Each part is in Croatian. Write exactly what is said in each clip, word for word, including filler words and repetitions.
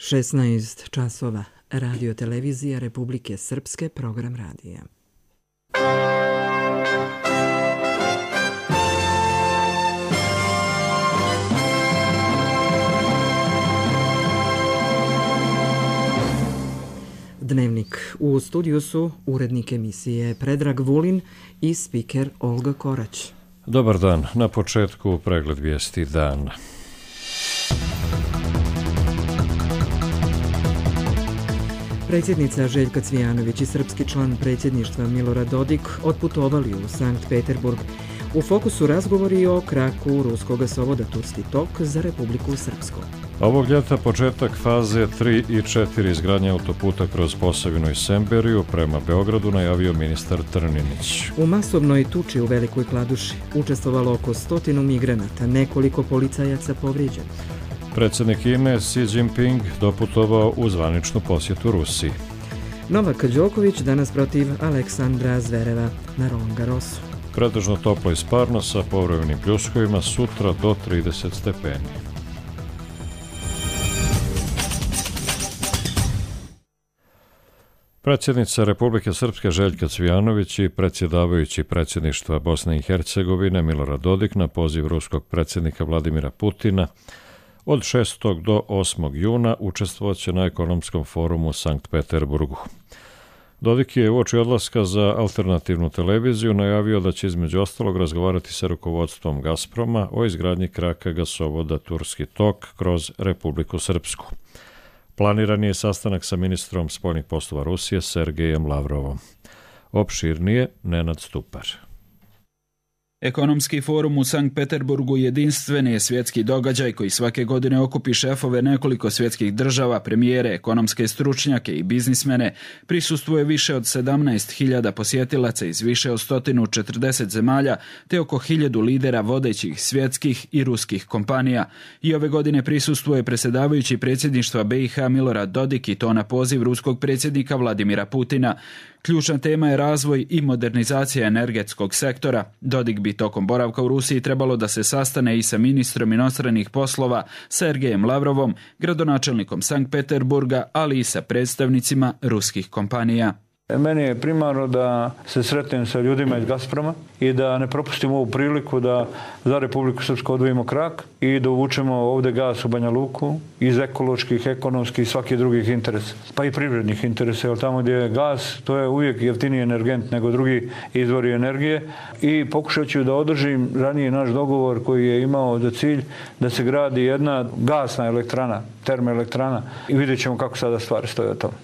šesnaest časova. Radio televizija Republike Srpske, program radija. Dnevnik. U studiju su urednik emisije Predrag Vulin i spiker Olga Korać. Dobar dan. Na početku pregled vijesti dana. Predsjednica Željka Cvijanović i srpski član predsjedništva Milorad Dodik otputovali u Sankt Peterburg. U fokusu razgovori o kraku ruskog gasovoda Turski tok za Republiku Srpsku. Ovog ljeta početak faze tri i četiri izgradnje autoputa kroz Posavinu i Semberiju prema Beogradu najavio ministar Trninić. U masovnoj tuči u Velikoj Kladuši učestvovalo oko stotinu migranata, nekoliko policajaca povrijeđeno. Predsjednik Kine Xi Jinping doputovao u zvaničnu posjetu Rusiji. Novak Đoković danas protiv Aleksandra Zvereva na Roland Garrosu. Pretežno toplo i sparno sa povremenim pljuskovima, sutra do trideset stepeni. Predsjednica Republike Srpske Željka Cvijanović i predsjedavajući predsjedništva Bosne i Hercegovine Milorad Dodik na poziv ruskog predsjednika Vladimira Putina od šestog do osmog juna učestvovaće na ekonomskom forumu u Sankt Peterburgu. Dodik je uoči odlaska za alternativnu televiziju najavio da će između ostalog razgovarati sa rukovodstvom Gazproma o izgradnji kraka gasovoda Turski tok kroz Republiku Srpsku. Planiran je sastanak sa ministrom spoljnih poslova Rusije Sergejem Lavrovom. Opširnije Nenad Stupar. Ekonomski forum u Sankt Peterburgu jedinstven je svjetski događaj koji svake godine okupi šefove nekoliko svjetskih država, premijere, ekonomske stručnjake i biznismene. Prisustvuje više od sedamnaest hiljada posjetilaca iz više od sto četrdeset zemalja te oko hiljadu lidera vodećih svjetskih i ruskih kompanija. I ove godine prisustvuje predsjedavajući predsjedništva B i H Milorad Dodik i to na poziv ruskog predsjednika Vladimira Putina. Ključna tema je razvoj i modernizacija energetskog sektora. Dodik bi tokom boravka u Rusiji trebalo da se sastane i sa ministrom inostranih poslova Sergejem Lavrovom, gradonačelnikom Sankt Peterburga, ali i sa predstavnicima ruskih kompanija. Meni je primarno da se sretnem sa ljudima iz Gazproma i da ne propustimo ovu priliku da za Republiku Srpsku odvojimo krak i da uvučemo ovdje gas u Banja Luku iz ekoloških, ekonomskih i svakih drugih interesa, pa i privrednih interesa, jer tamo gdje je gas, to je uvijek jeftiniji energent nego drugi izvori energije i pokušat ću da održim ranije naš dogovor koji je imao za cilj da se gradi jedna gasna elektrana, termoelektrana i vidjet ćemo kako sada stvari stoje od tome.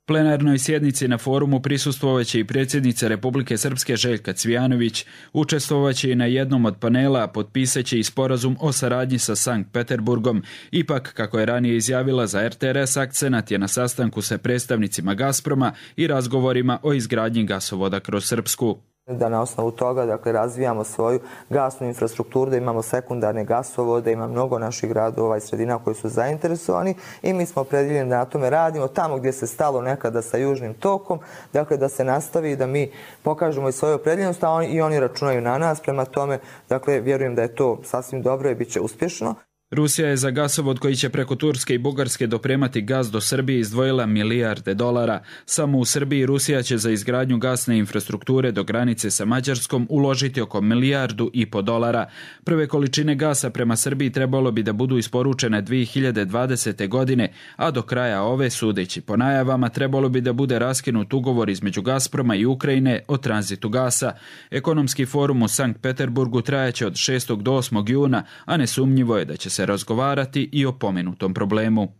Plenarnoj sjednici na forumu prisustvovaće i predsjednica Republike Srpske Željka Cvijanović, učestvovaće i na jednom od panela, potpisaće i sporazum o saradnji sa Sankt Peterburgom. Ipak, kako je ranije izjavila za R T R S, akcenat je na sastanku sa predstavnicima Gazproma i razgovorima o izgradnji gasovoda kroz Srpsku. Da na osnovu toga dakle, razvijamo svoju gasnu infrastrukturu, da imamo sekundarne gasovode, ima mnogo naših gradova i sredina koji su zainteresovani i mi smo opredjeljeni da na tome radimo tamo gdje se stalo nekada sa južnim tokom, dakle da se nastavi i da mi pokažemo i svoju opredjeljenost, a oni, i oni računaju na nas, prema tome dakle, vjerujem da je to sasvim dobro i bit će uspješno. Rusija je za gasovod koji će preko Turske i Bugarske dopremati gaz do Srbije izdvojila milijarde dolara. Samo u Srbiji Rusija će za izgradnju gasne infrastrukture do granice sa Mađarskom uložiti oko milijardu i po dolara. Prve količine gasa prema Srbiji trebalo bi da budu isporučene dvije hiljade dvadesete. godine, a do kraja ove, sudeći po najavama, trebalo bi da bude raskinut ugovor između Gazproma i Ukrajine o tranzitu gasa. Ekonomski forum u Sankt Peterburgu trajaće od šestog do osmog juna, a nesumnjivo je da će se razgovarati i o pomenutom problemu.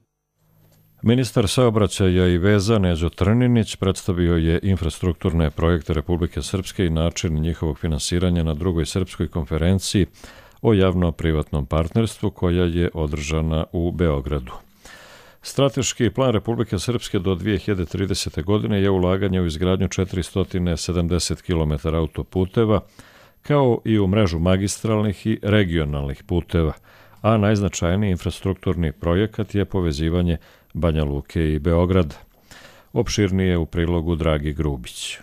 Ministar saobraćaja i veza Neđo Trninić predstavio je infrastrukturne projekte Republike Srpske i način njihovog finansiranja na drugoj srpskoj konferenciji o javno-privatnom partnerstvu koja je održana u Beogradu. Strateški plan Republike Srpske do dvije hiljade tridesete. godine je ulaganje u izgradnju četiristo sedamdeset kilometara autoputeva, kao i u mrežu magistralnih i regionalnih puteva, a najznačajniji infrastrukturni projekat je povezivanje Banja Luke i Beograda. Opširnije u prilogu Dragi Grubić.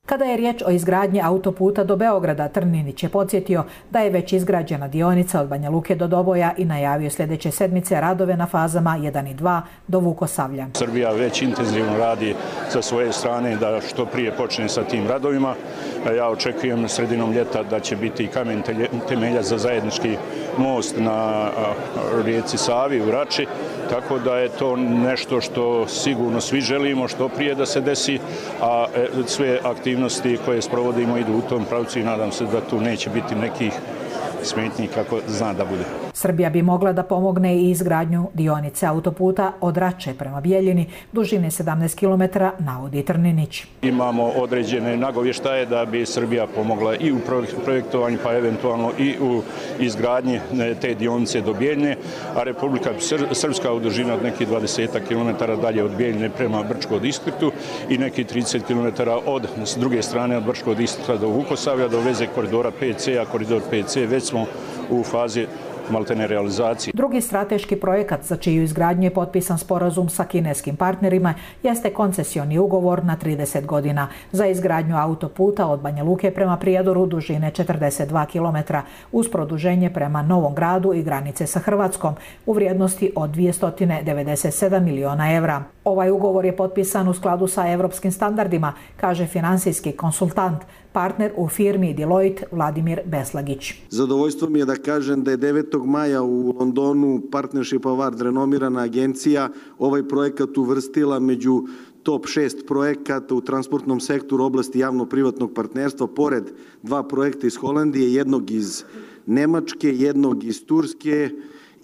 Kada je riječ o izgradnji autoputa do Beograda, Trninić je podsjetio da je već izgrađena dionica od Banja Luke do Doboja i najavio sljedeće sedmice radove na fazama jedan i dva do Vukosavlja. Srbija već intenzivno radi sa svoje strane da što prije počne sa tim radovima. Ja očekujem sredinom ljeta da će biti i kamen temelja za zajednički most na rijeci Savi u Rači, tako da je to nešto što sigurno svi želimo što prije da se desi, a sve aktivnosti koje sprovodimo idu u tom pravcu i nadam se da tu neće biti nekih smetnji kako zna da bude. Srbija bi mogla da pomogne i izgradnju dionice autoputa od Rače prema Bijeljini, dužine sedamnaest kilometara, navodi Trninić. Imamo određene nagovještaje da bi Srbija pomogla i u projektovanju, pa eventualno i u izgradnji te dionice do Bijeljine, a Republika Srpska u dužini od nekih dvadeset kilometara dalje od Bijeljine prema Brčkom distriktu i nekih trideset kilometara od s druge strane od Brčkog distrikta do Vukosavlja do veze koridora P C, a koridor P C već smo u fazi maltene realizacije. Drugi strateški projekat za čiju izgradnju je potpisan sporazum sa kineskim partnerima jeste koncesioni ugovor na trideset godina za izgradnju autoputa od Banja Luke prema Prijedoru dužine četrdeset dva kilometra uz produženje prema Novom Gradu i granice sa Hrvatskom u vrijednosti od dvjesto devedeset sedam miliona evra. Ovaj ugovor je potpisan u skladu sa evropskim standardima, kaže finansijski konsultant, partner u firmi Deloitte Vladimir Beslagić. Zadovoljstvo mi je da kažem da je devetog maja u Londonu Partnership Award, renomirana agencija, ovaj projekat uvrstila među top šest projekata u transportnom sektoru oblasti javno-privatnog partnerstva, pored dva projekta iz Holandije, jednog iz Nemačke, jednog iz Turske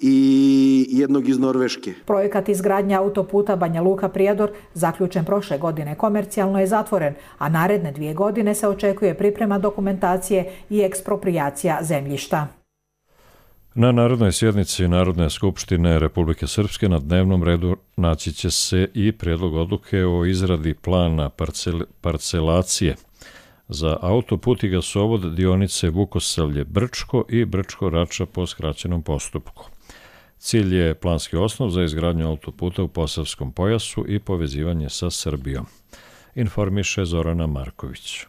i jednog iz Norveške. Projekat izgradnja autoputa Banja Luka-Prijedor, zaključen prošle godine, komercijalno je zatvoren, a naredne dvije godine se očekuje priprema dokumentacije i eksproprijacija zemljišta. Na narodnoj sjednici Narodne skupštine Republike Srpske na dnevnom redu naći će se i prijedlog odluke o izradi plana parcel, parcelacije za autoput i gasovod dionice Vukosavlje-Brčko i Brčko-Rača po skraćenom postupku. Cilj je planski osnov za izgradnju autoputa u Posavskom pojasu i povezivanje sa Srbijom, informiše Zorana Marković.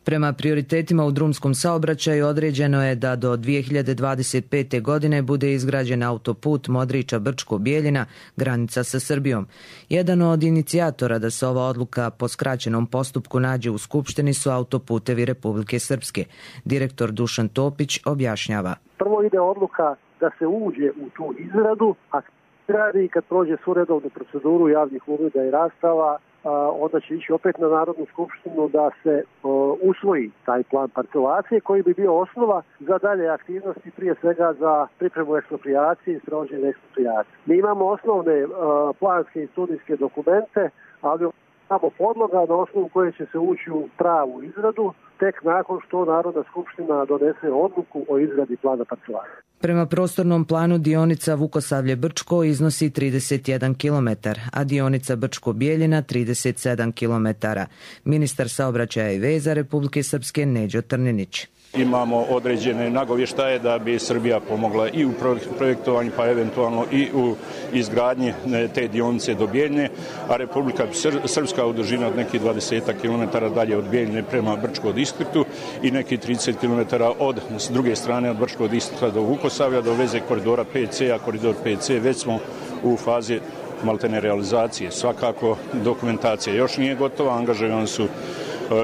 Prema prioritetima u drumskom saobraćaju određeno je da do dvije hiljade dvadeset pete. godine bude izgrađen autoput Modriča-Brčko-Bijeljina, granica sa Srbijom. Jedan od inicijatora da se ova odluka po skraćenom postupku nađe u Skupštini su Autoputevi Republike Srpske. Direktor Dušan Topić objašnjava. Prvo ide odluka da se uđe u tu izradu, a radi kad prođe svu redovnu proceduru javnih uvida i rastava, onda će ići opet na Narodnu skupštinu da se o, usvoji taj plan parcelacije koji bi bio osnova za dalje aktivnosti, prije svega za pripremu eksproprijacije i sprovođenje eksproprijacije. Mi imamo osnovne o, planske i studijske dokumente, ali imamo podloga na osnovu koje će se ući u pravu izradu tek nakon što Narodna skupština donese odluku o izradi plana parcelacije. Prema prostornom planu dionica Vukosavlje-Brčko iznosi trideset jedan kilometar, a dionica Brčko-Bijeljina trideset sedam kilometara. Ministar saobraćaja i veza Republike Srpske Neđo Trninić. Imamo određene nagovještaje da bi Srbija pomogla i u projektovanju, pa eventualno i u izgradnji te dionice do Bijeljine, a Republika Srpska u dužini od nekih dvadeset kilometara dalje od Bijeljine prema Brčkom distriktu i nekih trideset kilometara od s druge strane od Brčkog distrikta do Vukosavlja do veze koridora P C, a koridor P C već smo u fazi maltene realizacije. Svakako dokumentacija još nije gotova, angažovani su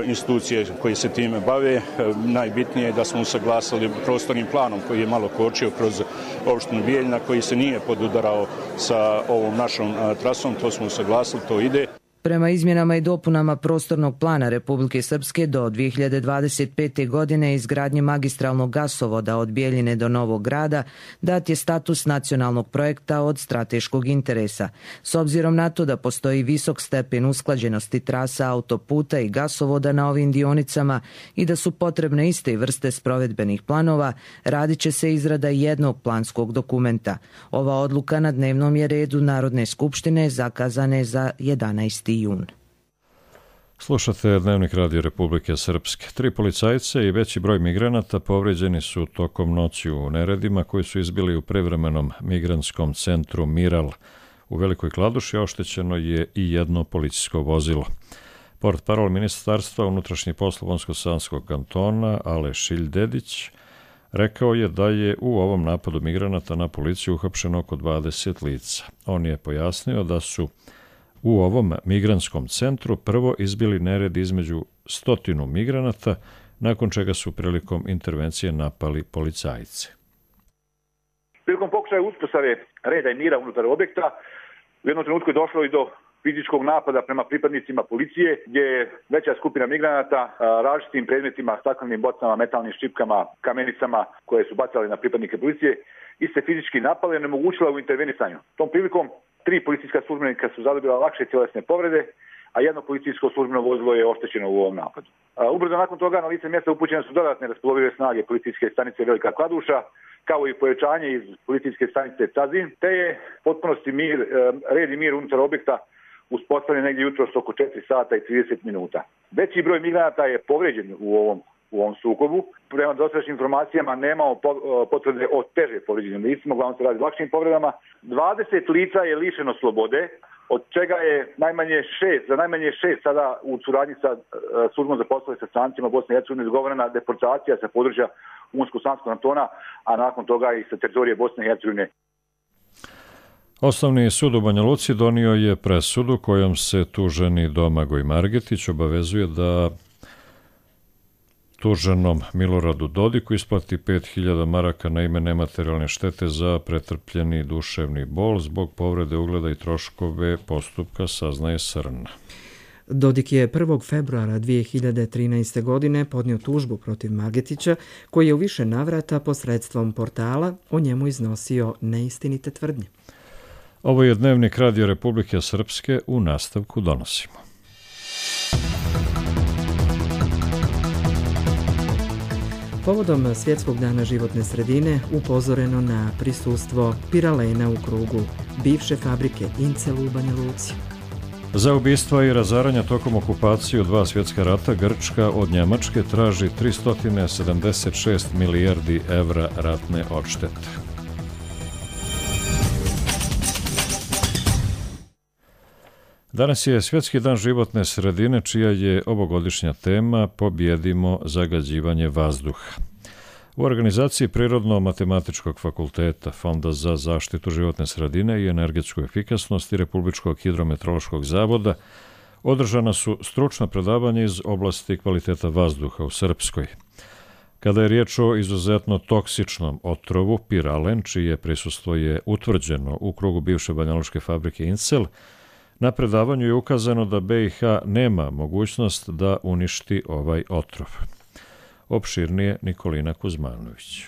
institucije koje se time bave. Najbitnije je da smo usaglasili prostornim planom koji je malo kočio kroz opštinu Bijeljina, koji se nije podudarao sa ovom našom trasom, to smo usaglasili, to ide. Prema izmjenama i dopunama prostornog plana Republike Srpske do dvije hiljade dvadeset pete. godine izgradnje magistralnog gasovoda od Bijeljine do Novog Grada dat je status nacionalnog projekta od strateškog interesa. S obzirom na to da postoji visok stepen usklađenosti trasa autoputa i gasovoda na ovim dionicama i da su potrebne iste vrste sprovedbenih planova, radit će se izrada jednog planskog dokumenta. Ova odluka na dnevnom je redu Narodne skupštine zakazane za jedanaesti jun. Slušate Dnevnik Radio Republike Srpske. Tri policajce i veći broj migranata povređeni su tokom noći u neredima koji su izbili u privremenom migrantskom centru Miral. U Velikoj Kladuši oštećeno je i jedno policijsko vozilo. Portparol Ministarstva unutrašnjih poslova Unsko-Sanskog kantona Ale Šiljdedić rekao je da je u ovom napadu migranata na policiju uhapšeno oko dvadeset lica. On je pojasnio da su u ovom migrantskom centru prvo izbili nered između stotinu migranata, nakon čega su prilikom intervencije napali policajce. Prilikom pokušaja uspostave reda i mira unutar objekta, u jednom trenutku je došlo i do fizičkog napada prema pripadnicima policije, gdje je veća skupina migranata različitim predmetima, staklenim bocama, metalnim ščipkama, kamenicama koje su bacali na pripadnike policije i se fizički napali i onemogućila u intervenisanju. Tom prilikom tri policijska službenika su zadobila lakše tjelesne povrede, a jedno policijsko službeno vozilo je oštećeno u ovom napadu. Ubrzo nakon toga na lice mjesta upućene su dodatne raspolovive snage policijske stanice Velika Kladuša, kao i pojačanje iz policijske stanice Cazin, te je potpunosti mir, red i mir unutar objekta uspostavljen negdje jutros oko četiri sata i trideset minuta. Veći broj migranata je povrijeđen u ovom, u ovom sukobu. Prema dosadašnjim informacijama nemamo potvrde o teže povrijeđenim licima, uglavnom se radi o lakšim povredama. dvadeset lica je lišeno slobode, od čega je najmanje šest, za najmanje šest sada u suradnji sa službom za poslove sa strancima Bosne i Hercegovine izgovorena deportacija sa područja Unsko-Sanskog kantona, a nakon toga i sa teritorije Bosne i Hercegovine. Osnovni sud u Banja Luci donio je presudu kojom se tuženi Domagoj Margetić obavezuje da tuženom Miloradu Dodiku isplati pet hiljada maraka na ime nematerijalne štete za pretrpljeni duševni bol zbog povrede ugleda i troškove postupka, saznaje Srn. Dodik je prvog februara dvije hiljade trinaeste. godine podnio tužbu protiv Margetića, koji je u više navrata posredstvom portala o njemu iznosio neistinite tvrdnje. Ovo je Dnevnik Radio Republike Srpske, u nastavku donosimo. Povodom Svjetskog dana životne sredine upozoreno na prisustvo piralena u krugu bivše fabrike Incel u Banja Luci. Za ubistva i razaranja tokom okupacije u dva svjetska rata Grčka od Njemačke traži tristo sedamdeset šest milijardi evra ratne odštete. Danas je Svjetski dan životne sredine, čija je ovogodišnja tema Pobjedimo zagađivanje vazduha. U organizaciji Prirodno-matematičkog fakulteta, Fonda za zaštitu životne sredine i energetsku efikasnost i Republičkog hidrometeorološkog zavoda održana su stručna predavanja iz oblasti kvaliteta vazduha u Srpskoj. Kada je riječ o izuzetno toksičnom otrovu piralen, čije prisustvo je utvrđeno u krugu bivše banjalučke fabrike Incel, na predavanju je ukazano da B i H nema mogućnost da uništi ovaj otrov. Opširnije Nikolina Kuzmanović.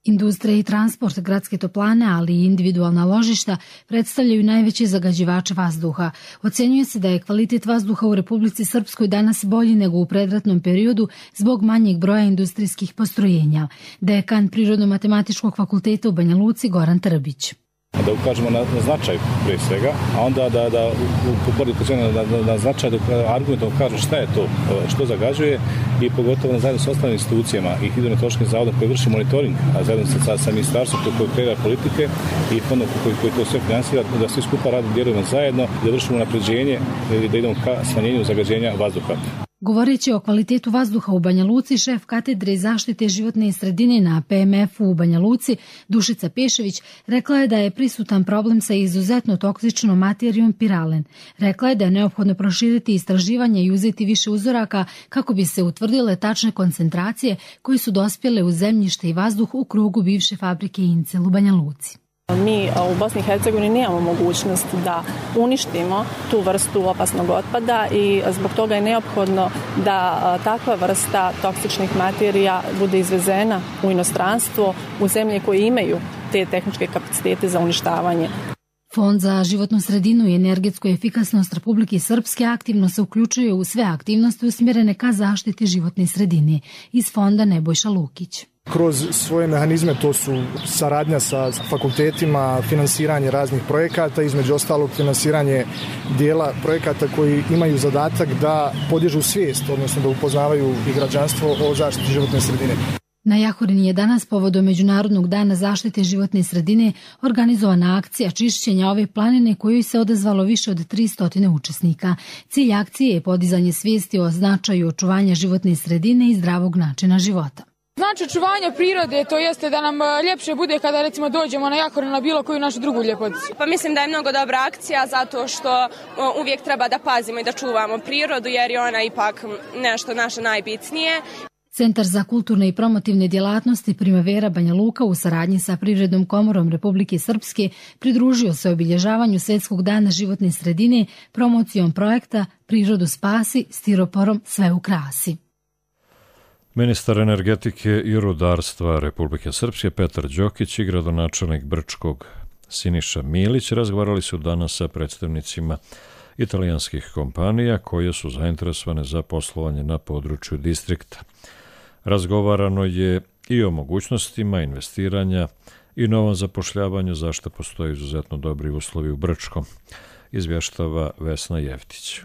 Industrija i transport, gradske toplane, ali i individualna ložišta predstavljaju najveće zagađivače vazduha. Ocenjuje se da je kvalitet vazduha u Republici Srpskoj danas bolji nego u predratnom periodu zbog manjeg broja industrijskih postrojenja. Dekan Prirodno-matematičkog fakulteta u Banja Luci Goran Trbić. Da ukažemo na, na značaj prije svega, a onda da, da uporiku na, na, na značaj, da argumentom kažu šta je to, što zagađuje i pogotovo na zajedno s ostalim institucijama i hidrometeorološkim zavodom koji vrši monitoring, a zajedno sa, sa ministarstvom koji kreira politike i fondom koji, koji to sve finansira, da svi skupa radi, djelujemo zajedno, da vršimo napređenje i da idemo ka smanjenju zagađenja vazduha. Govoreći o kvalitetu vazduha u Banja Luci, šef katedre zaštite životne sredine na P M F-u u Banja Luci, Dušica Pešević, rekla je da je prisutan problem sa izuzetno toksičnom materijom piralen. Rekla je da je neophodno proširiti istraživanje i uzeti više uzoraka kako bi se utvrdile tačne koncentracije koje su dospjele u zemljište i vazduh u krugu bivše fabrike Incel u Banja Luci. Mi u Bosni i Hercegovini nemamo mogućnost da uništimo tu vrstu opasnog otpada i zbog toga je neophodno da takva vrsta toksičnih materija bude izvezena u inostranstvo, u zemlje koje imaju te tehničke kapacitete za uništavanje. Fond za životnu sredinu i energetsku efikasnost Republike Srpske aktivno se uključuje u sve aktivnosti usmjerene ka zaštiti životne sredine. Iz fonda Nebojša Lukić. Kroz svoje mehanizme, to su saradnja sa fakultetima, finansiranje raznih projekata, između ostalog finansiranje dijela projekata koji imaju zadatak da podižu svijest, odnosno da upoznavaju i građanstvo o zaštiti životne sredine. Na Jahorini je danas povodom Međunarodnog dana zaštite životne sredine organizovana akcija čišćenja ove planine kojoj se odazvalo više od tristo učesnika. Cilj akcije je podizanje svijesti o značaju očuvanja životne sredine i zdravog načina života. Znači očuvanje prirode, to jeste da nam ljepše bude kada recimo dođemo na Jahorin na bilo koju našu drugu ljepoticu. Pa mislim da je mnogo dobra akcija zato što uvijek treba da pazimo i da čuvamo prirodu jer je ona ipak nešto naše najbitnije. Centar za kulturne i promotivne djelatnosti Primavera Banja Luka u saradnji sa Privrednom komorom Republike Srpske pridružio se obilježavanju Svjetskog dana životne sredine promocijom projekta Prirodu spasi, stiroporom sve ukrasi. Ministar energetike i rudarstva Republike Srpske Petar Đokić i gradonačelnik Brčkog Siniša Milić razgovarali su danas sa predstavnicima italijanskih kompanija koje su zainteresovane za poslovanje na području distrikta. Razgovarano je i o mogućnostima investiranja i novom zapošljavanju, zašto postoje izuzetno dobri uslovi u Brčkom, izvještava Vesna Jevtić.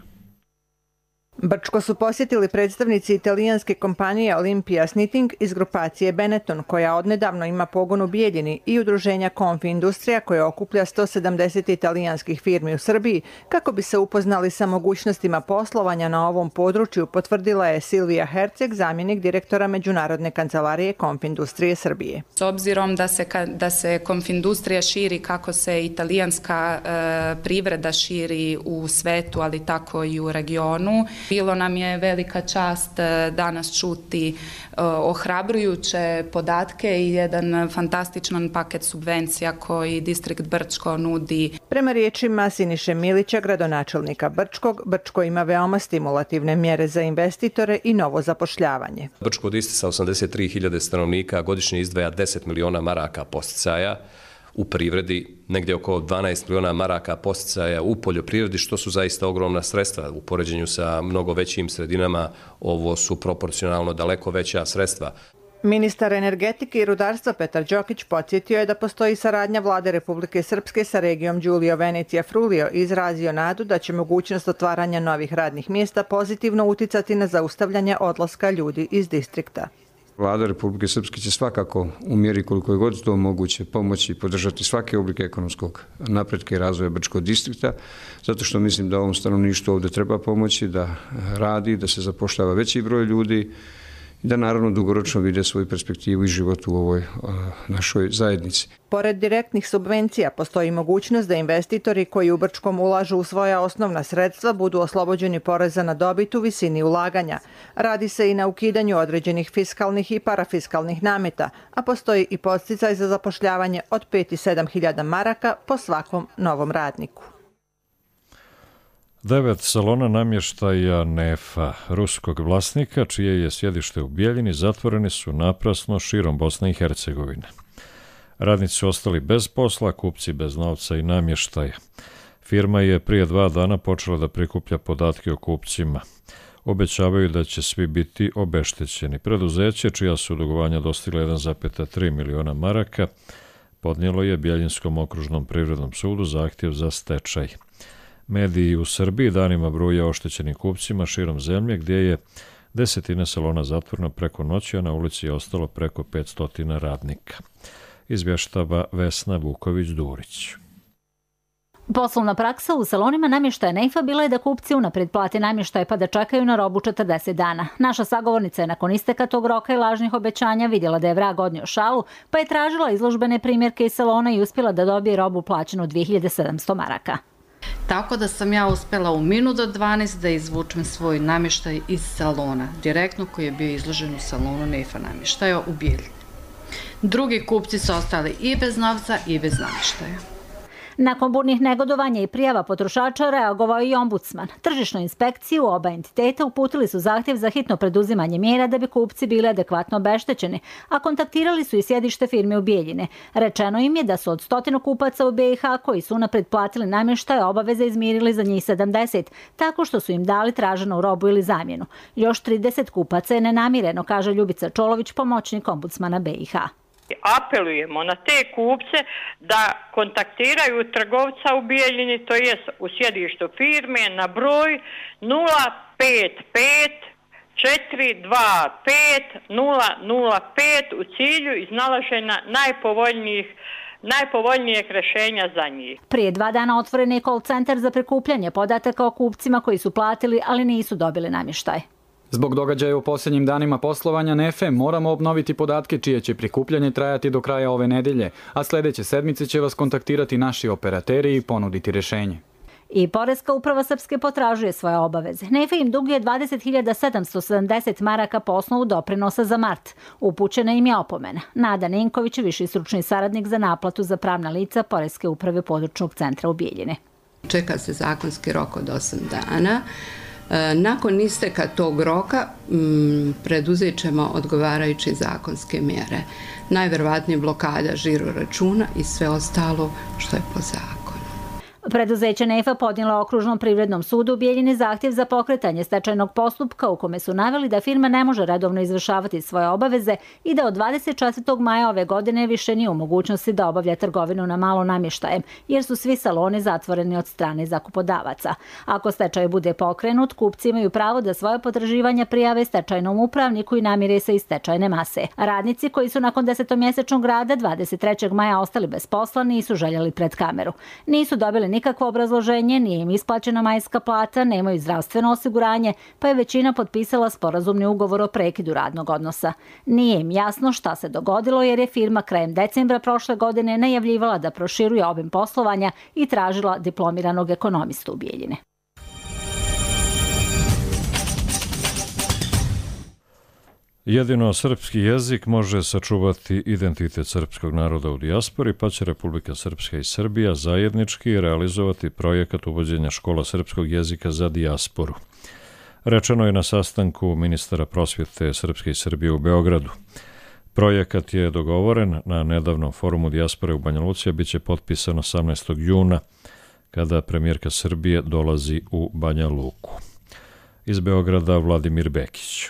Brčko su posjetili predstavnici italijanske kompanije Olympia Snitting iz grupacije Benetton, koja odnedavno ima pogon u Bijeljini, i udruženja Confi Industrija, koje okuplja sto sedamdeset italijanskih firmi u Srbiji, kako bi se upoznali sa mogućnostima poslovanja na ovom području, potvrdila je Silvija Herceg, zamjenik direktora Međunarodne kancelarije Confi Industrije Srbije. S obzirom da se, da se Confi Industrija širi, kako se italijanska e, privreda širi u svetu, ali tako i u regionu, bilo nam je velika čast danas čuti ohrabrujuće podatke i jedan fantastičan paket subvencija koji distrikt Brčko nudi. Prema riječima Siniše Milića, gradonačelnika Brčkog, Brčko ima veoma stimulativne mjere za investitore i novo zapošljavanje. Brčko od sa osamdeset tri hiljade stanovnika godišnje izdvaja deset miliona maraka podsticaja u privredi, negdje oko dvanaest miliona maraka podsticaja u poljoprivredi, što su zaista ogromna sredstva. U poređenju sa mnogo većim sredinama ovo su proporcionalno daleko veća sredstva. Ministar energetike i rudarstva Petar Đokić podsjetio je da postoji saradnja Vlade Republike Srpske sa regijom Giulio Venecija Frulio i izrazio nadu da će mogućnost otvaranja novih radnih mjesta pozitivno uticati na zaustavljanje odlaska ljudi iz distrikta. Vlada Republike Srpske će svakako u mjeri koliko je god to moguće pomoći i podržati svake oblike ekonomskog napretka i razvoja Brčkog distrikta, zato što mislim da ovom stanovništvu ovdje treba pomoći, da radi, da se zapošljava veći broj ljudi i da naravno dugoročno vide svoju perspektivu i život u ovoj a, našoj zajednici. Pored direktnih subvencija postoji mogućnost da investitori koji u Brčkom ulažu u svoja osnovna sredstva budu oslobođeni poreza na dobit u visini ulaganja. Radi se i na ukidanju određenih fiskalnih i parafiskalnih nameta, a postoji i podsticaj za zapošljavanje od pet i sedam hiljada maraka po svakom novom radniku. Devet salona namještaja Nefa, ruskog vlasnika, čije je sjedište u Bijeljini, zatvoreni su naprasno širom Bosne i Hercegovine. Radnici su ostali bez posla, kupci bez novca i namještaja. Firma je prije dva dana počela da prikuplja podatke o kupcima. Obećavaju da će svi biti obeštećeni. Preduzeće, čija su dugovanja dostigla jedan zarez tri miliona maraka, podnijelo je Bijeljinskom okružnom privrednom sudu zahtjev za stečaj. Mediji u Srbiji danima bruje oštećenim kupcima širom zemlje, gdje je desetine salona zatvoreno preko noći, a na ulici je ostalo preko petsto radnika. Izvještava Vesna Vuković-Durić. Poslovna praksa u salonima namještaja Neifa bila je da kupci unaprijed plate namještaj pa da čekaju na robu četrdeset dana. Naša sagovornica je nakon isteka tog roka i lažnih obećanja vidjela da je vrag odnio šalu, pa je tražila izložbene primjerke iz salona i uspjela da dobije robu plaćenu dvije hiljade sedamsto maraka. Tako da sam ja uspjela u minut do dvanaest da izvučem svoj namještaj iz salona, direktno koji je bio izložen u salonu Neifa namještaja u Bijeljini. Drugi kupci su ostali i bez novca i bez namještaja. Nakon burnih negodovanja i prijava potrošača reagovao i ombudsman. Tržišnoj inspekciji u oba entiteta uputili su zahtjev za hitno preduzimanje mjera da bi kupci bili adekvatno obeštećeni, a kontaktirali su i sjedište firme u Bijeljine. Rečeno im je da su od stotinu kupaca u B i H koji su unaprijed platili namještaje obaveze izmirili za njih sedamdeset, tako što su im dali traženu robu ili zamjenu. Još trideset kupaca je nenamireno, kaže Ljubica Čolović, pomoćnik ombudsmana B i H. Apelujemo na te kupce da kontaktiraju trgovca u Bijeljini, to jest u sjedištu firme, na broj nula pet pet četiri dva pet nula nula pet u cilju iznalaženja najpovoljnijih najpovoljnijeg rešenja za njih. Prije dva dana otvoren je call centar za prikupljanje podataka o kupcima koji su platili, ali nisu dobili namještaj. Zbog događaja u posljednjim danima poslovanja Nefe moramo obnoviti podatke čije će prikupljanje trajati do kraja ove nedelje, a sljedeće sedmice će vas kontaktirati naši operateri i ponuditi rješenje. I Poreska uprava Srpske potražuje svoje obaveze. Nefe im duguje dvadeset hiljada sedamsto sedamdeset maraka po osnovu doprinosa za mart. Upućena im je opomena. Nada Ninković, viši stručni saradnik za naplatu za pravna lica Poreske uprave područnog centra u Bijeljini. Čeka se zakonski rok od osam dana. Nakon isteka tog roka preduzet ćemo odgovarajuće zakonske mjere. Najverovatnije blokada žiro računa i sve ostalo što je po zakonu. Preduzeće Nefa podnijelo Okružnom privrednom sudu u Bijeljini zahtjev za pokretanje stečajnog postupka u kome su naveli da firma ne može redovno izvršavati svoje obaveze i da od dvadeset četvrtog maja ove godine više nije u mogućnosti da obavlja trgovinu na malo namještajem, jer su svi saloni zatvoreni od strane zakupodavaca. Ako stečaj bude pokrenut, kupci imaju pravo da svoje potraživanja prijave stečajnom upravniku i namire se iz stečajne mase. Radnici koji su nakon desetomjesečnog rada dvadeset trećeg maja ostali bez posla nisu željeli pred kameru. Nisu dobili nikakvo obrazloženje, nije im isplaćena majska plata, nemaju zdravstveno osiguranje, pa je većina potpisala sporazumni ugovor o prekidu radnog odnosa. Nije im jasno šta se dogodilo jer je firma krajem decembra prošle godine najavljivala da proširuje obim poslovanja i tražila diplomiranog ekonomistu u Bijeljini. Jedino srpski jezik može sačuvati identitet srpskog naroda u dijaspori, pa će Republika Srpska i Srbija zajednički realizovati projekat uvođenja škola srpskog jezika za dijasporu. Rečeno je na sastanku ministara prosvjete Srpske i Srbije u Beogradu. Projekat je dogovoren na nedavnom forumu dijaspore u Banja Luci, a bit će potpisan osamnaestog juna, kada premijerka Srbije dolazi u Banja Luku. Iz Beograda Vladimir Bekić.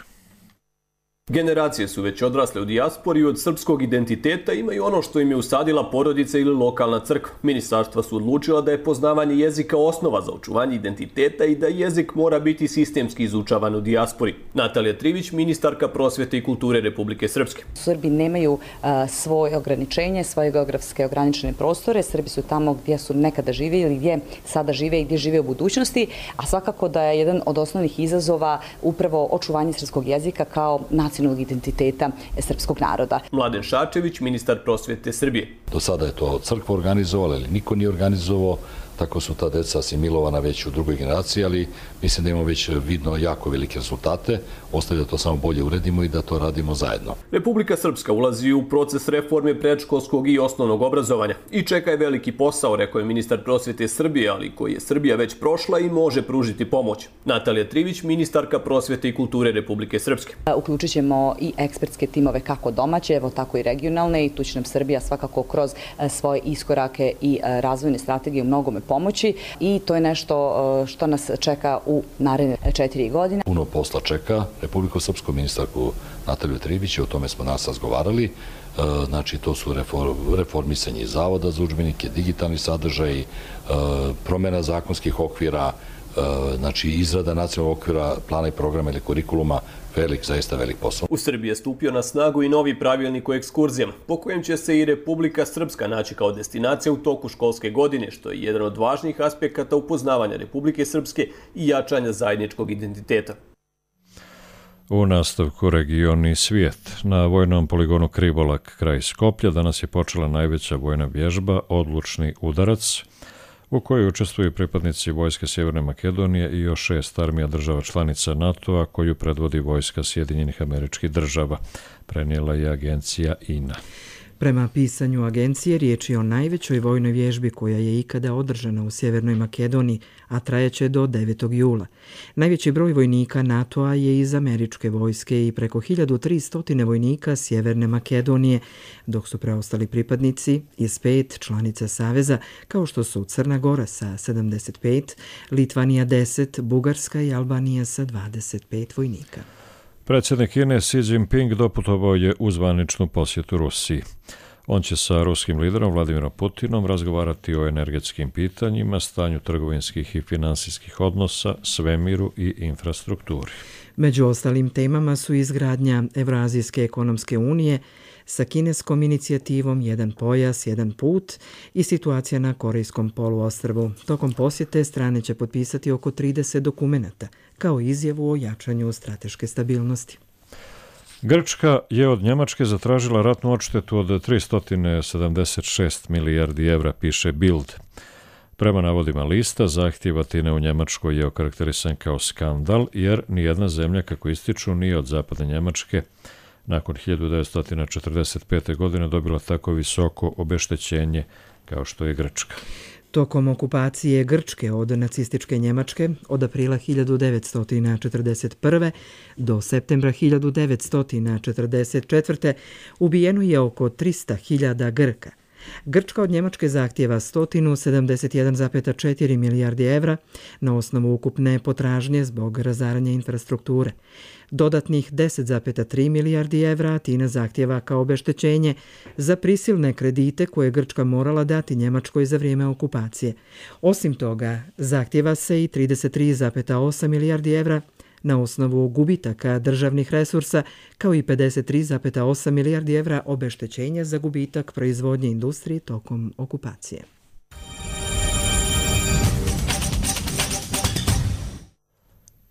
Generacije su već odrasle u dijaspori i od srpskog identiteta imaju ono što im je usadila porodica ili lokalna crkva. Ministarstva su odlučila da je poznavanje jezika osnova za očuvanje identiteta i da jezik mora biti sistemski izučavan u dijaspori. Natalija Trivić, ministarka prosvjete i kulture Republike Srpske. Srbi nemaju uh, svoje ograničenje, svoje geografske ograničene prostore. Srbi su tamo gdje su nekada živjeli, gdje sada žive i gdje žive u budućnosti, a svakako da je jedan od osnovnih izazova upravo očuvanje srpskog jezika kao nacionalnog identiteta srpskog naroda. Mladen Šarčević, ministar prosvjete Srbije. Do sada je to crkva organizovala ili niko nije organizovao, tako su ta deca asimilovana već u drugoj generaciji, ali mislim da imamo već vidno jako velike rezultate. Ostaje da to samo bolje uredimo i da to radimo zajedno. Republika Srpska ulazi u proces reforme predškolskog i osnovnog obrazovanja i čeka je veliki posao, rekao je ministar prosvjete Srbije, ali koji je Srbija već prošla i može pružiti pomoć. Natalija Trivić, ministarka prosvjete i kulture Republike Srpske. Uključit ćemo i ekspertske timove kako domaće, evo tako i regionalne, i tu će nam Srbija svakako kroz svoje iskorake i razvojne strategije u mnogome pomoći i to je nešto što nas čeka u naredne četiri godine. Puno posla čeka Republiku Srpsku, ministarku Nataliju Trivić, o tome smo nas razgovarali. Znači, to su reformisanje zavoda za udžbenike, digitalni sadržaj, promjena zakonskih okvira, znači izrada nacionalnog okvira, plana i programa ili kurikuluma, velik, zaista velik posao. U Srbiji je stupio na snagu i novi pravilnik o ekskurzijama, po kojem će se i Republika Srpska naći kao destinacija u toku školske godine, što je jedan od važnijih aspekata upoznavanja Republike Srpske i jačanja zajedničkog identiteta. U nastavku regioni svijet. Na vojnom poligonu Krivolak kraj Skoplja danas je počela najveća vojna vježba Odlučni udarac, u kojoj učestvuju pripadnici Vojske Sjeverne Makedonije i još šest armija država članica NATO-a koju predvodi Vojska Sjedinjenih Američkih Država, prenijela je agencija I N A. Prema pisanju agencije, riječ je o najvećoj vojnoj vježbi koja je ikada održana u Sjevernoj Makedoniji, a trajaće do devetog jula. Najveći broj vojnika NATO-a je iz američke vojske i preko hiljadu tristo vojnika Sjeverne Makedonije, dok su preostali pripadnici iz pet članica Saveza, kao što su Crna Gora sa sedamdeset pet, Litvanija deset, Bugarska i Albanija sa dvadeset pet vojnika. Predsjednik Kine Xi Jinping doputovao je u zvaničnu posjetu Rusiji. On će sa ruskim liderom Vladimirom Putinom razgovarati o energetskim pitanjima, stanju trgovinskih i finansijskih odnosa, svemiru i infrastrukturi. Među ostalim temama su izgradnja Evroazijske ekonomske unije sa kineskom inicijativom Jedan pojas, jedan put i situacija na Korejskom poluostrvu. Tokom posjete strane će potpisati oko trideset dokumenata, kao izjavu o jačanju strateške stabilnosti. Grčka je od Njemačke zatražila ratnu odštetu od tristo sedamdeset šest milijardi evra, piše Bild. Prema navodima lista, zahtjev Atine u Njemačkoj je okarakterisan kao skandal, jer nijedna zemlja, kako ističu, nije od zapadne Njemačke nakon hiljadu devetsto četrdeset pete. godine dobila tako visoko obeštećenje kao što je Grčka. Tokom okupacije Grčke od nacističke Njemačke od aprila hiljadu devetsto četrdeset prve. do septembra hiljadu devetsto četrdeset četvrte. ubijeno je oko tristo hiljada Grka. Grčka od Njemačke zahtjeva sto sedamdeset jedan zarez četiri milijardi evra na osnovu ukupne potražnje zbog razaranja infrastrukture. Dodatnih deset zarez tri milijardi evra Atina zahtjeva kao obeštećenje za prisilne kredite koje je Grčka morala dati Njemačkoj za vrijeme okupacije. Osim toga, zahtjeva se i trideset tri zarez osam milijardi evra na osnovu gubitaka državnih resursa, kao i pedeset tri zarez osam milijardi evra obeštećenja za gubitak proizvodnje industrije tokom okupacije.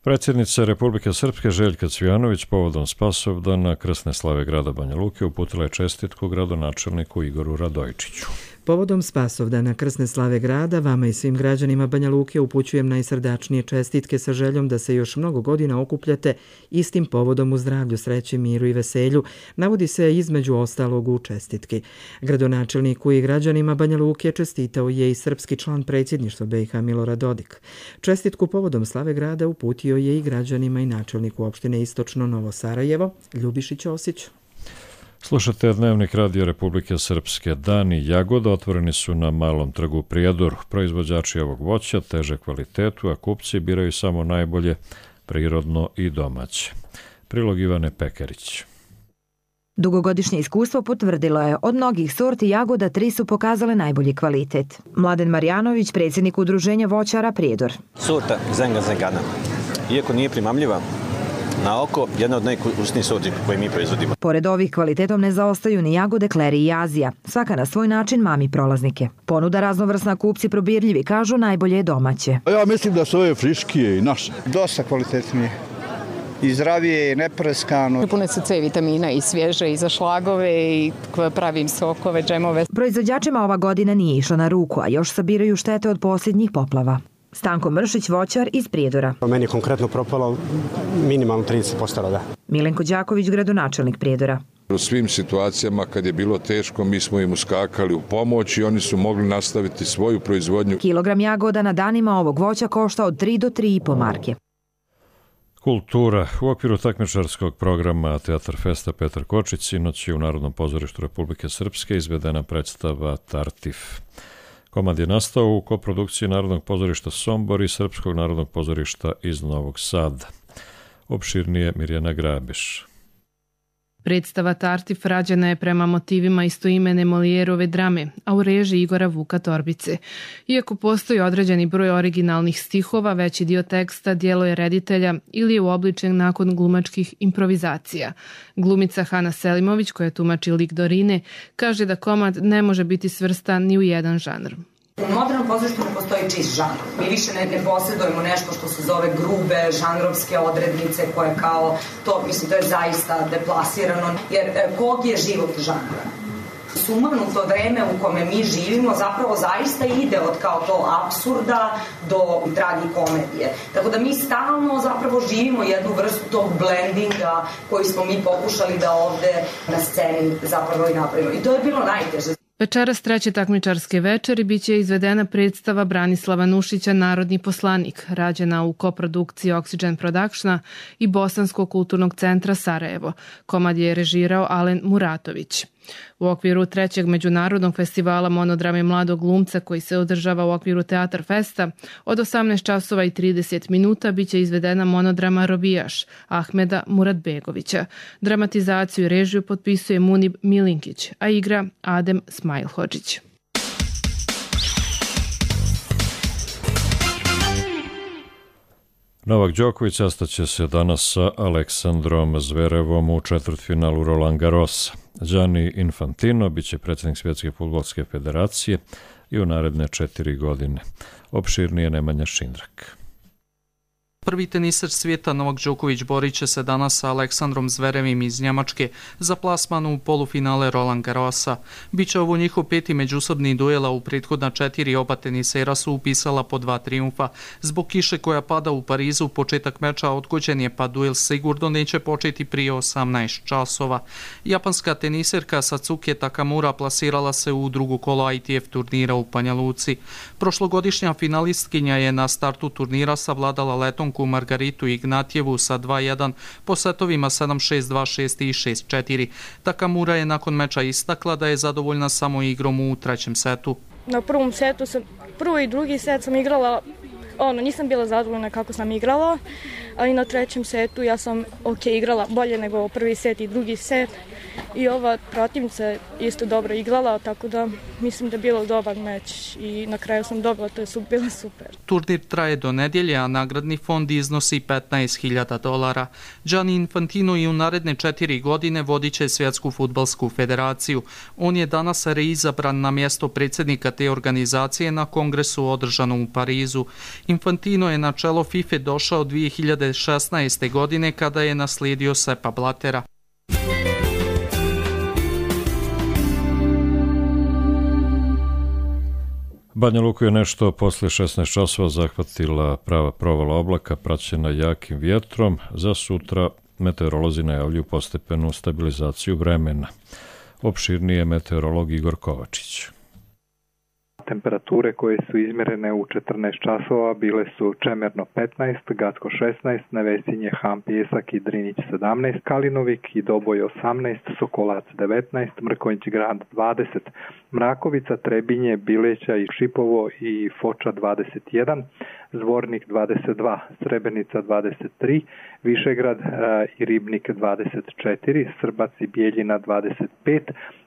Predsjednica Republike Srpske Željka Cvijanović povodom Spasovdana krsne slave grada Banja Luke uputila je čestitku gradonačelniku Igoru Radojičiću. Povodom Spasovdana krsne slave grada, vama i svim građanima Banja Luke upućujem najsrdačnije čestitke sa željom da se još mnogo godina okupljate istim povodom u zdravlju, sreći, miru i veselju, navodi se između ostalog u čestitki. Gradonačelniku i građanima Banja Luke čestitao je i srpski član predsjedništva B i H Milorad Dodik. Čestitku povodom slave grada uputio je i građanima i načelniku opštine Istočno Novo Sarajevo, Ljubiši Ćosić. Slušate Dnevnik Radio Republike Srpske. Dani jagoda otvoreni su na Malom trgu Prijedor. Proizvođači ovog voća teže kvalitetu, a kupci biraju samo najbolje, prirodno i domaće. Prilog Ivane Pekarić. Dugogodišnje iskustvo potvrdilo je, od mnogih sorti jagoda tri su pokazale najbolji kvalitet. Mladen Marjanović, predsjednik udruženja voćara Prijedor. Sorta Zenga Zengana, iako nije primamljiva na oko, jedna od najukusnijih sorti koje mi proizvodimo. Pored ovih kvalitetom ne zaostaju ni jagode Kleri i Azija. Svaka na svoj način mami prolaznike. Ponuda raznovrsna, kupci probirljivi, kažu najbolje je domaće. Ja mislim da su ove friškije i naše. Dosta kvalitetnije. I zdravije, i nepreskano. Pune su C vitamina i svježe i za šlagove i pravim sokove, džemove. Proizvođačima ova godina nije išla na ruku, a još sabiraju štete od posljednjih poplava. Stanko Mršić, voćar iz Prijedora. Meni je konkretno propalo minimalno trideset posto roda. Milenko Đaković, gradonačelnik Prijedora. U svim situacijama kad je bilo teško, mi smo im uskakali u pomoć i oni su mogli nastaviti svoju proizvodnju. Kilogram jagoda na danima ovog voća košta od tri do tri i po marke. Kultura. U okviru takmičarskog programa Teatar Festa Petar Kočić sinoć je u Narodnom pozorištu Republike Srpske izvedena predstava Tartif. Komad je nastao u koprodukciji Narodnog pozorišta Sombor i Srpskog narodnog pozorišta iz Novog Sada. Opširnije Mirjana Grabiš. Predstava Tartif rađena je prema motivima istoimene Molijerove drame, a u režiji Igora Vuka Torbice. Iako postoji određeni broj originalnih stihova, veći dio teksta djelo je reditelja ili je uobličen nakon glumačkih improvizacija. Glumica Hana Selimović, koja tumači lik Dorine, kaže da komad ne može biti svrstan ni u jedan žanr. U modernom pozorištu ne postoji čist žanr. Mi više ne, ne posjedujemo nešto što se zove grube, žanrovske odrednice koje kao to, mislim, to je zaista deplasirano. Jer kog je život žanra? Sumanuto vreme u kome mi živimo zapravo zaista ide od kao to apsurda do tragikomedije. Tako da mi stalno zapravo živimo jednu vrstu tog blendinga koji smo mi pokušali da ovde na sceni zapravo i napravimo. I to je bilo najteže. Večeras treće takmičarske večeri biće izvedena predstava Branislava Nušića Narodni poslanik, rađena u koprodukciji Oxygen Productiona i Bosanskog kulturnog centra Sarajevo. Komad je režirao Alen Muratović. U okviru trećeg međunarodnog festivala monodrame mladog glumca koji se održava u okviru Teatar Festa, od osamnaest časova i trideset minuta biće izvedena monodrama Robijaš Ahmeda Muratbegovića. Dramatizaciju i režiju potpisuje Munib Milinkić, a igra Adem Smajlhodžić. Novak Đoković sastaće se danas sa Aleksandrom Zverevom u četvrtfinalu Roland Garrosa. Gianni Infantino biće predsjednik Svjetske fudbalske federacije i u naredne četiri godine. Opširnije Nemanja Šindrak. Prvi teniser svijeta Novak Đoković borit će se danas sa Aleksandrom Zverevim iz Njemačke za plasman u polufinale Roland Garrosa. Biće ovo njihov peti međusobni duela, u prethodna četiri oba tenisera su upisala po dva triumfa. Zbog kiše koja pada u Parizu, početak meča odgođen je, pa duel sigurno neće početi prije osamnaest časova. Japanska teniserka Satsuki Takamura plasirala se u drugo kolo I T F turnira u Banja Luci. Prošlogodišnja finalistkinja je na startu turnira savladala letom Margaritu Ignatjevu sa dva jedan po setovima sedam šest, dva šest i šest četiri. Takamura je nakon meča istakla da je zadovoljna samo igrom u trećem setu. Na prvom setu sam, prvo i drugi set sam igrala, ono, nisam bila zadovoljna kako sam igrala, ali na trećem setu ja sam ok igrala bolje nego prvi set i drugi set i ova protivnica isto dobro igrala, tako da mislim da je bilo dobar meč i na kraju sam dobila, to je bilo super. Turnir traje do nedjelje, a nagradni fond iznosi petnaest hiljada dolara. Gianni Infantino i u naredne četiri godine vodit će Svjetsku fudbalsku federaciju. On je danas reizabran na mjesto predsjednika te organizacije na kongresu održanom u Parizu. Infantino je na čelo FIFA došao dvije hiljade šesnaeste. godine kada je naslijedio Seppa Blattera. Banja Luku je nešto posle šesnaest časova zahvatila prava provala oblaka praćena jakim vjetrom. Za sutra meteorolozi najavljuju postepenu stabilizaciju vremena. Opširnije meteorolog Igor Kovačić. Temperature koje su izmjerene u četrnaest časova bile su Čemerno petnaest, Gacko šesnaest, Nevesinje, Han, Pjesak i Drinić sedamnaest, Kalinovik i Doboj osamnaest, Sokolac devetnaest, Mrkonjić Grad dvadeset, Mrakovica, Trebinje, Bileća i Šipovo i Foča dvadeset jedan, Zvornik dvadeset dva, Srebrenica dvadeset tri, Višegrad i Ribnik dvadeset četiri, Srbac i Bijeljina dvadeset pet,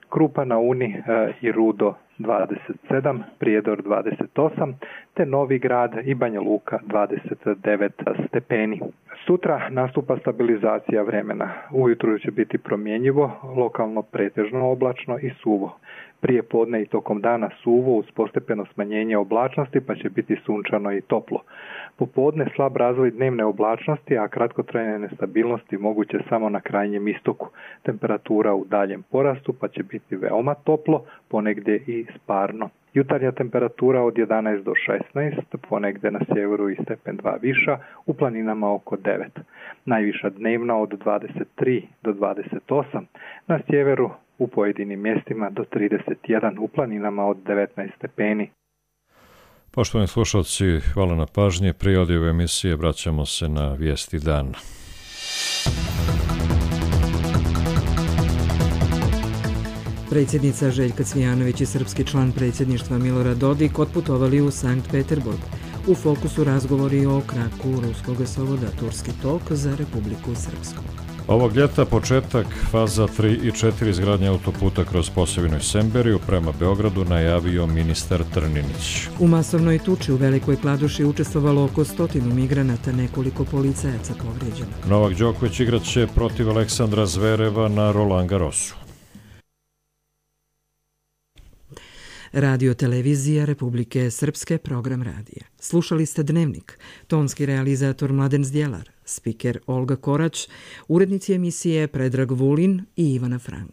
Krupa na Uni i Rudo dvadeset sedam, Prijedor dvadeset osam, te Novi Grad i Banja Luka dvadeset devet stepeni. Sutra nastupa stabilizacija vremena. Ujutru će biti promjenjivo, lokalno pretežno oblačno i suvo. Prije podne i tokom dana suvo uz postepeno smanjenje oblačnosti, pa će biti sunčano i toplo. Popodne slab razvoj dnevne oblačnosti, a kratkotrajne nestabilnosti moguće samo na krajnjem istoku. Temperatura u daljem porastu, pa će biti veoma toplo, ponegdje i sparno. Jutarnja temperatura od jedanaest do šesnaest, ponegdje na sjeveru i stepen dva viša, u planinama oko devet. Najviša dnevna od dvadeset tri do dvadeset osam, na sjeveru u pojedinim mjestima do trideset jedan, u planinama od devetnaest stepeni. Poštovani slušalci, hvala na pažnje. Prije ove emisije vraćamo se na vijesti dana. Predsjednica Željka Cvijanović i srpski član predsjedništva Milorad Dodik otputovali u Sankt Peterburg. U fokusu razgovori o kraku ruskog gasovoda Turski tok za Republiku Srpsku. Ovog ljeta početak faza tri i četiri izgradnje autoputa kroz Posavinu i Semberiju prema Beogradu najavio ministar Trninić. U masovnoj tuči u Velikoj Kladuši učestvovalo oko stotinu migranata, nekoliko policajaca povrijeđeno. Novak Đoković igraće protiv Aleksandra Zvereva na Roland Garrosu. Radio televizija Republike Srpske, program radija. Slušali ste Dnevnik, tonski realizator Mladen Zdjelar, spiker Olga Korać, urednici emisije Predrag Vulin i Ivana Frank.